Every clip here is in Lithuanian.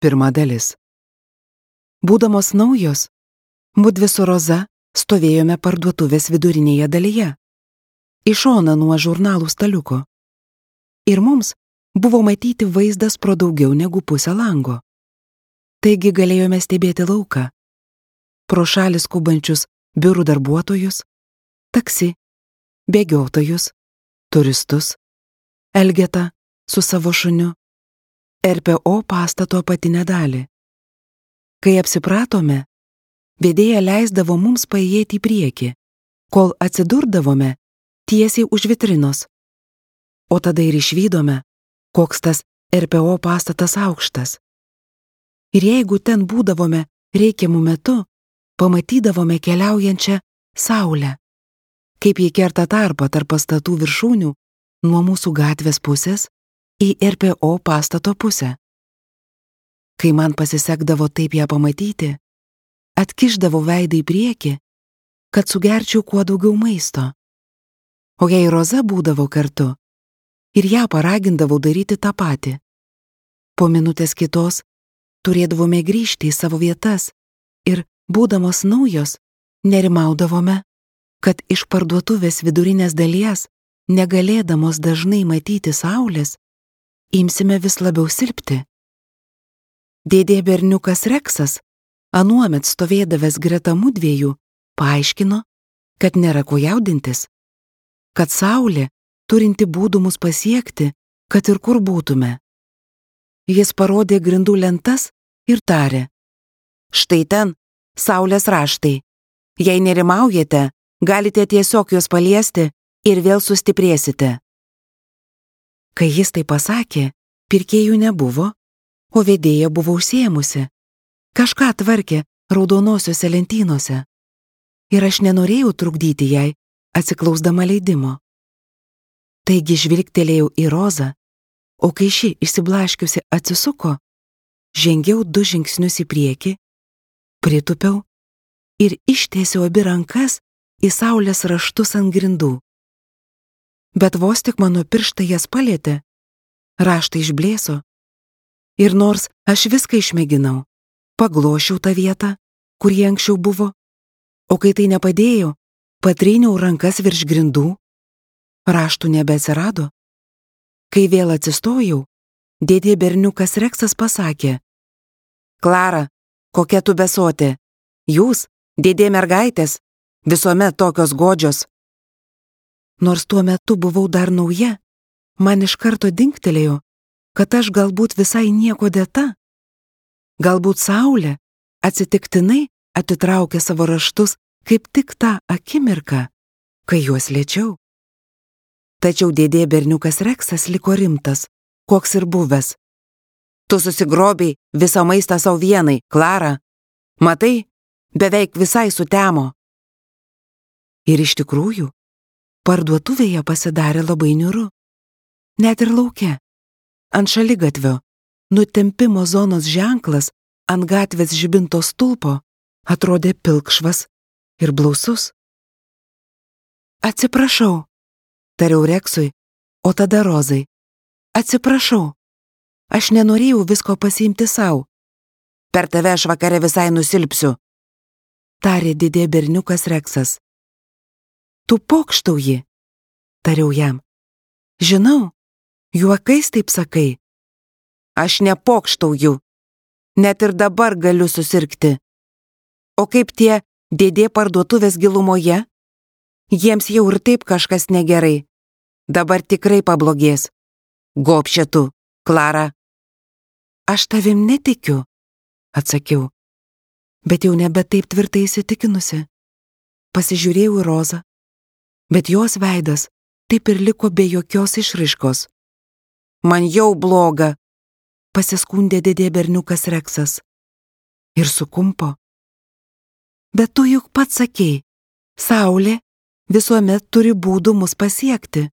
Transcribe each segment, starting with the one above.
Pirma dalis. Būdamos naujos, mudvi su Roza stovėjome parduotuvės vidurinėje dalyje, į šoną nuo žurnalų staliuko. Ir mums buvo matyti vaizdas pro daugiau negu pusę lango. Taigi galėjome stebėti lauką, pro šalį skubančius biurų darbuotojus, taksi, bėgiotojus, turistus, Elgetą su savo šuniu, RPO pastato apatinę dalį. Kai apsipratome, vedėja leisdavo mums paėjėti į priekį, kol atsidurdavome tiesiai už vitrinos. O tada ir išvydome, koks tas RPO pastatas aukštas. Ir jeigu ten būdavome reikiamų metu, pamatydavome keliaujančią saulę, kaip ji kerta tarpą tarp pastatų viršūnių nuo mūsų gatvės pusės į RPO pastato pusę. Kai man pasisekdavo taip ją pamatyti, atkišdavau veidą į priekį, kad sugerčiau kuo daugiau maisto. O jei Roza būdavo kartu, ir ją paragindavau daryti tą patį. Po minutės kitos turėdavome grįžti į savo vietas ir, būdamos naujos, nerimaudavome, kad iš parduotuvės vidurinės dalies, negalėdamos dažnai matyti saulės, imsime vis labiau silpti. Dėdė berniukas Reksas, anuomet stovėdavęs greta mudviejų, paaiškino, kad nėra ko jaudintis, kad saulė turinti būdų mus pasiekti, kad ir kur būtume. Jis parodė grindų lentas ir tarė: štai ten saulės raštai. Jei nerimaujate, galite tiesiog juos paliesti ir vėl sustiprėsite. Kai jis tai pasakė, pirkėjų nebuvo, o vedėja buvo užsiėmusi. Kažką tvarkė raudonosiuose lentynose. Ir aš nenorėjau trukdyti jai, atsiklausdama leidimo. Taigi žvilgtelėjau į Rozą, o kai ši išsiblaškiusi atsisuko, žengiau 2 žingsnius į priekį, pritupiau ir ištiesiau abi rankas į saulės raštus ant grindų. Bet vos tik mano pirštai jas palietė, raštai išblėso. Ir nors aš viską išmėginau, paglošiau tą vietą, kur jie anksčiau buvo, o kai tai nepadėjo, patryniau rankas virš grindų, raštų nebeatsirado. Kai vėl atsistojau, dėdė berniukas Reksas pasakė: Klara, kokia tu besotė, jūs, dėdė mergaitės, visuomet tokios godžios. Nors tuo metu buvau dar nauja, man iš karto dingtelėjo, kad aš galbūt visai nieko dėta. Galbūt saulė atsitiktinai atitraukė savo raštus kaip tik tą akimirką, kai juos liečiau. Tačiau dėdė berniukas Reksas liko rimtas, koks ir buvęs. Tu susigrobiai visą maistą savo vienai, Klara. Matai, beveik visai sutemo. Ir iš tikrųjų, parduotuvėje pasidarė labai niūru. Net ir lauke, ant šaligatvio, nutempimo zonos ženklas ant gatvės žibinto stulpo atrodė pilkšvas ir blausus. Atsiprašau, tariau Reksui, o tada Rozai. Atsiprašau, aš nenorėjau visko pasiimti savo. Per tave aš vakare visai nusilpsiu, tarė dėdė berniukas Reksas. Tu pokštauji, tariau jam. Žinau, juokais taip sakai. Aš nepokštauju, net ir dabar galiu susirgti. O kaip tie dėdė parduotuvės gilumoje? Jiems jau ir taip kažkas negerai. Dabar tikrai pablogės. Gobšė tu, Klara. Aš tavim netikiu, atsakiau, bet jau nebe taip tvirtai įsitikinusi. Pasižiūrėjau į Rozą, bet jos veidas taip ir liko be jokios išraiškos. Man jau bloga, pasiskundė dėdė berniukas Reksas. Ir sukumpo. Bet tu juk pats sakei, saulė visuomet turi būdų mus pasiekti.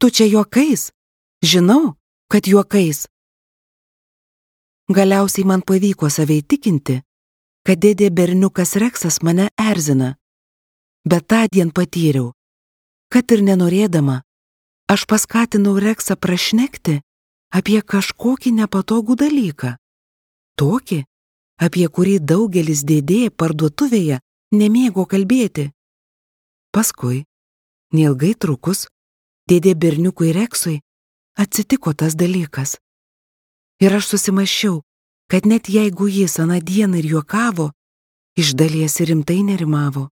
Tu čia juokais? Žinau, kad juokais. Galiausiai man pavyko save įtikinti, kad dėdė berniukas Reksas mane erzina. Bet tądien patyriau, kad ir nenorėdama, aš paskatinau Reksą prašnekti apie kažkokį nepatogų dalyką. Tokį, apie kurį daugelis dėdė parduotuvėje nemėgo kalbėti. Paskui, neilgai trukus, dėdė berniukui Reksui atsitiko tas dalykas. Ir aš susimąsčiau, kad net jeigu jis aną dieną ir juokavo, iš dalies ir rimtai nerimavo.